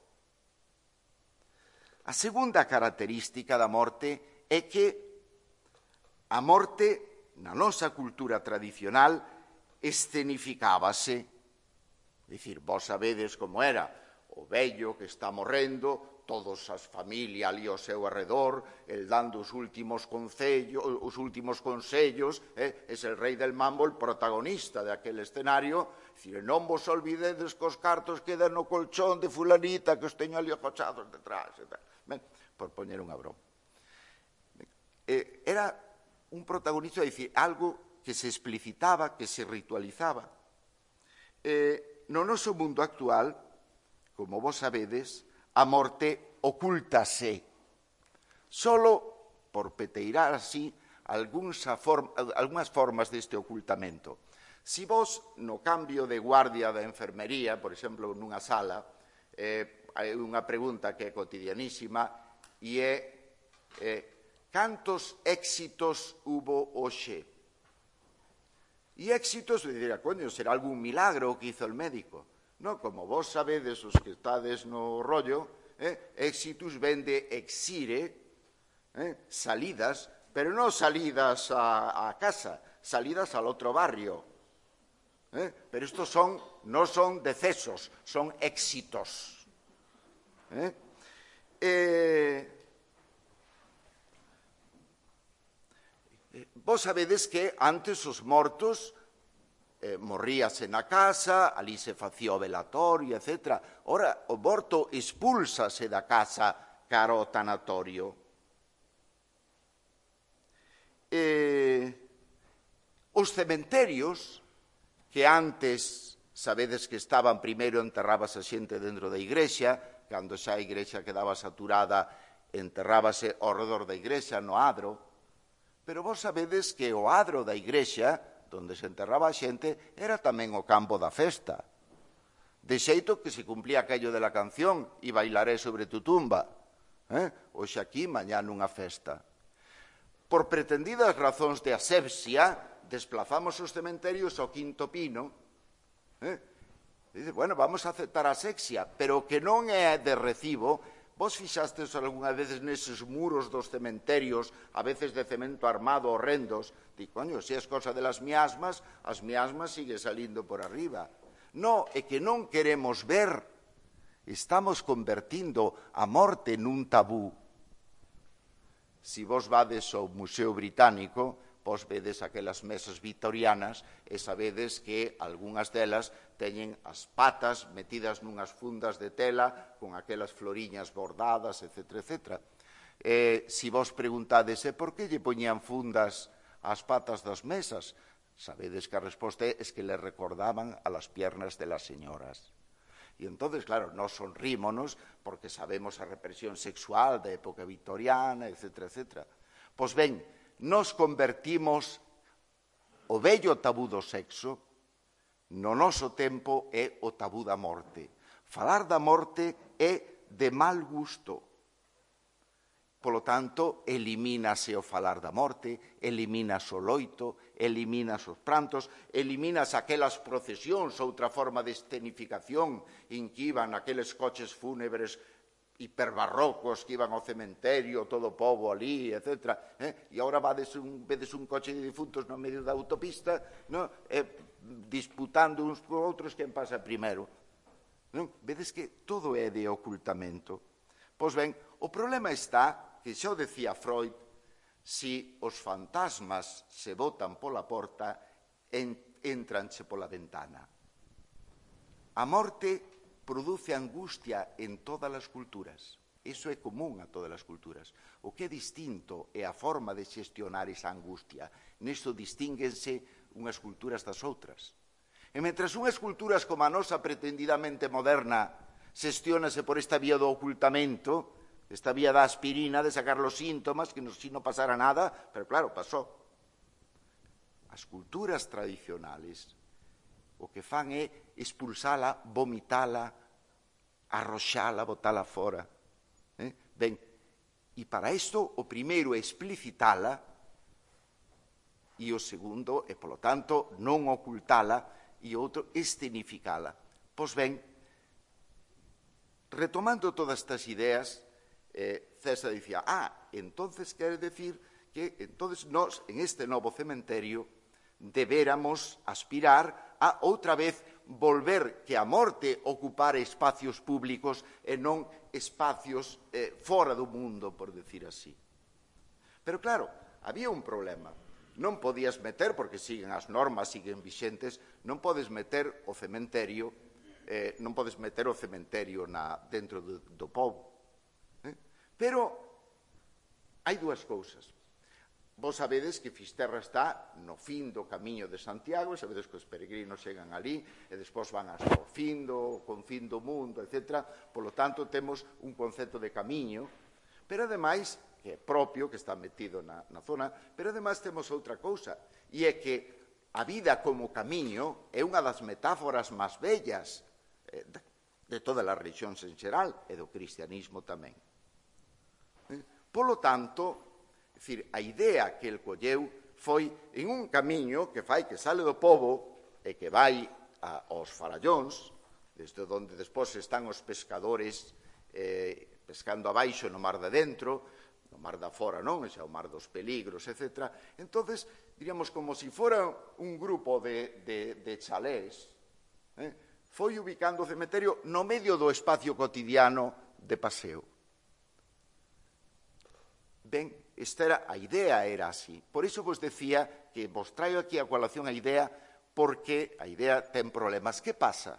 A segunda característica da morte é que a morte, na nosa cultura tradicional, escenificábase. É dicir, vos sabedes como era o vello que está morrendo, todos as familias ali ao seu arredor, el dando os últimos concellos, os últimos consellos, eh, es el rei del mambo, el protagonista de aquel escenario, dicir, non vos olvidedes que os cartos quedan no colchón de fulanita que os teño ali acochados detrás, e tal. Ben, por poñer unha broma. Eh, era un protagonista, dicir, algo que se explicitaba, que se ritualizaba. Eh, no noso mundo actual, como vos sabedes, a morte ocúltase. Solo, por peteirar así, algunhas formas deste ocultamento. Si vos, no cambio de guardia da enfermería, por exemplo, nunha sala, eh, hai unha pregunta que é cotidianísima e é eh, cantos éxitos hubo hoxe? E éxitos, dirá, coño, será algún milagro que hizo el médico. No, como vos sabedes, os que estades no rollo, eh, éxitus ven de exire, eh, salidas, pero non salidas a, a casa, salidas al otro barrio. Eh, pero estos son, no son decesos, son éxitos. Eh, eh, vos sabedes que antes os mortos Eh, morríase na casa, ali se facía o velatorio, etcétera. Ora, o morto expúlsase da casa cara ao tanatorio. Eh, os cementerios, que antes, sabedes que estaban, primeiro enterrábase a xente dentro da igrexa, cando xa a igrexa quedaba saturada, enterrábase ao redor da igrexa, no adro, pero vos sabedes que o adro da igrexa, donde se enterraba a xente, era tamén o campo da festa. De xeito que se cumplía aquello de la canción, e bailaré sobre tu tumba. Eh? Oxe aquí, mañá nunha festa. Por pretendidas razóns de asepsia, desplazamos os cementerios ao quinto pino. Eh? Dice, bueno, vamos a aceptar a asepsia, pero que non é de recibo. Vos fixastes algunha veces neses muros dos cementerios, a veces de cemento armado horrendos, di, coño, se é cosa de las miasmas, as miasmas sigue salindo por arriba. No, é que non queremos ver, estamos convertindo a morte nun tabú. Si vos vades ao Museo Británico, vos vedes aquelas mesas victorianas e sabedes que algunhas delas teñen as patas metidas nunhas fundas de tela con aquelas floriñas bordadas, etcétera, etcétera. Eh, si vos preguntades, eh, por que lle poñían fundas ás patas das mesas? Sabedes que a resposta é que le recordaban a las piernas de las señoras. E entonces, claro, nos sonrímonos porque sabemos a represión sexual da época victoriana, etcétera, etcétera. Pois ben, nos convertimos o vello tabú do sexo, no noso tempo é o tabú da morte. Falar da morte é de mal gusto. Polo tanto, elimínase o falar da morte, elimínase o loito, elimínase os prantos, elimínase aquelas procesións, outra forma de escenificación en que iban aqueles coches fúnebres hiperbarrocos que iban ao cementerio, todo o pobo ali, etcétera. Eh? E agora vades un, vedes un coche de difuntos no medio da autopista, no? eh, disputando uns con outros quen pasa primeiro. Non? Vedes que todo é de ocultamento. Pois ben, o problema está, que xa o decía Freud, si os fantasmas se botan pola porta, en, entranche pola ventana. A morte produce angustia en todas as culturas. Iso é común a todas as culturas. O que é distinto é a forma de xestionar esa angustia. Nisto distínguense unhas culturas das outras. E mentras unhas culturas como a nosa pretendidamente moderna xestiónase por esta vía do ocultamento, esta vía da aspirina, de sacar los síntomas, que si non pasara nada, pero claro, pasou. As culturas tradicionales o que fan é expulsala, vomitala, arroxala, botala fora. Eh? Ben, e para isto o primeiro é explicitala e o segundo é, polo tanto, non ocultala e o outro escenificala. Pois ben, retomando todas estas ideas, eh, César dicía, ah, entonces quere decir que entonces nós, en este novo cementerio, debéramos aspirar a outra vez volver que a morte ocupara espacios públicos e non espacios eh, fora do mundo, por decir así. Pero claro, había un problema. Non podías meter, porque siguen as normas, siguen vixentes, non podes meter o cementerio, eh, non podes meter o cementerio na, dentro do, do pobo. Eh? Pero hai dúas cousas. Vos sabedes que Fisterra está no fin do camiño de Santiago, e sabedes que os peregrinos chegan ali e despois van hasta o fin do, con fin do mundo, etcétera. Por lo tanto, temos un concepto de camiño, pero ademais, que é propio, que está metido na, na zona, pero ademais temos outra cousa, e é que a vida como camiño é unha das metáforas máis bellas eh, de, de todas as religións en xeral e do cristianismo tamén. Eh? Polo tanto, é dicir, a idea que el colleu foi en un camiño que fai que sale do pobo e que vai a, aos farallóns, desde onde despois están os pescadores eh, pescando abaixo no mar de dentro, no mar da fora, non? Xa o mar dos peligros, etcétera. Entonces, diríamos, como se si fora un grupo de, de, de chalés, eh, foi ubicando o cementerio no medio do espacio cotidiano de paseo. Ben, esta era, a idea era así. Por iso vos decía que vos traio aquí a colación a idea, porque a idea ten problemas. Que pasa?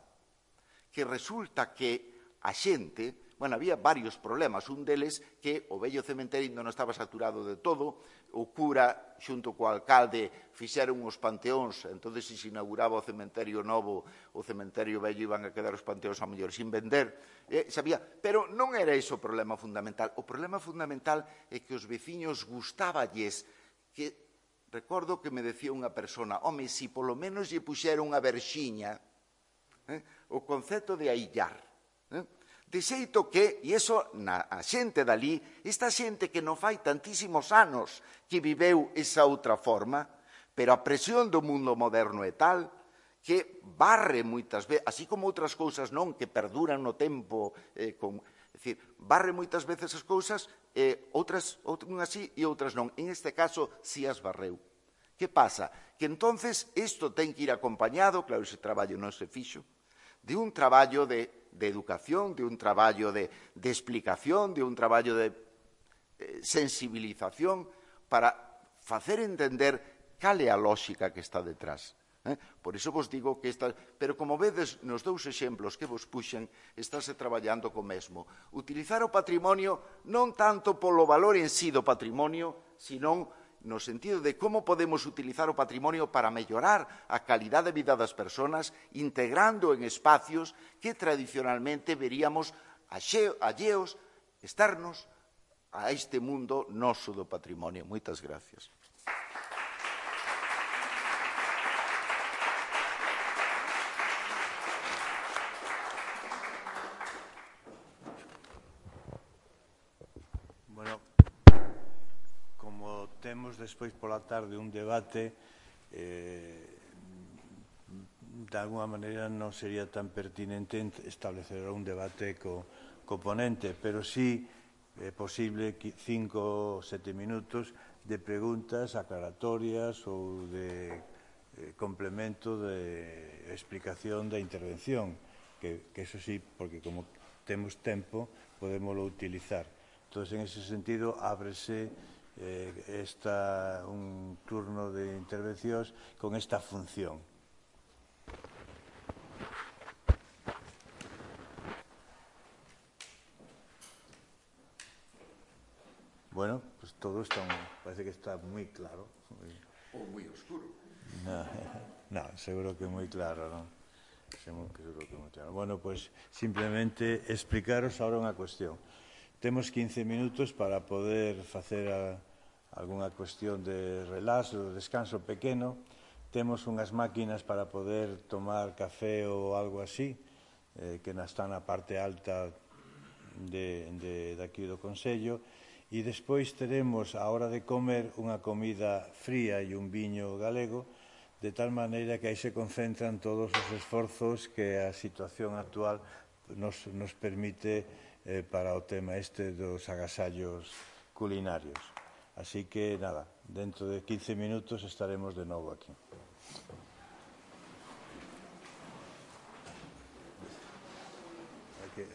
Que resulta que a xente... Bueno, había varios problemas, un deles que o vello cementerio non estaba saturado de todo, o cura xunto co alcalde fixeron os panteóns, entón se se inauguraba o cementerio novo, o cementerio vello iban a quedar os panteóns a mellor sin vender, eh, sabía, pero non era iso o problema fundamental. O problema fundamental é que os veciños gustáballes, que recordo que me decía unha persona, home, si polo menos lle puxeron unha verxiña, eh, o concepto de aillar, eh, de xeito que, e iso na a xente dali, esta xente que non fai tantísimos anos que viveu esa outra forma, pero a presión do mundo moderno é tal que barre moitas veces, así como outras cousas non, que perduran no tempo, eh, con, é dicir, barre moitas veces as cousas, eh, outras, unhas sí e outras non. En este caso, si as barreu. Que pasa? Que entonces isto ten que ir acompañado, claro, ese traballo non se fixo, de un traballo de, de educación, de un traballo de, de explicación, de un traballo de eh, sensibilización para facer entender cal é a lógica que está detrás. Eh? Por iso vos digo que esta... Pero como vedes, nos dous exemplos que vos puxen, estáse traballando co mesmo. Utilizar o patrimonio non tanto polo valor en sí do patrimonio, senón no sentido de como podemos utilizar o patrimonio para mellorar a calidad de vida das persoas, integrando en espacios que tradicionalmente veríamos alleos, externos a este mundo noso do patrimonio. Moitas gracias. Temos despois pola tarde un debate, eh, de alguma maneira non sería tan pertinente establecer un debate co, co ponente, pero sí é posible cinco ou sete minutos de preguntas aclaratorias ou de eh, complemento de explicación da intervención, que, que eso sí, porque como temos tempo, podémoslo utilizar. Entón, en ese sentido, ábrese Eh, esta, un turno de intervencións con esta función. Bueno, pues todo está, parece que está muy claro. O muy oscuro. No, no, seguro que muy claro, ¿no? Seguro que muy claro. Bueno, pues simplemente explicaros ahora unha cuestión. Temos quince minutos para poder facer a, algunha cuestión de relax, de descanso pequeno. Temos unhas máquinas para poder tomar café ou algo así, eh, que están na parte alta de, de, de aquí do Consello. E despois teremos, a hora de comer, unha comida fría e un viño galego, de tal maneira que aí se concentran todos os esforzos que a situación actual nos, nos permite Eh, para o tema este dos agasallos culinarios. Así que, nada, dentro de quince minutos estaremos de novo aquí.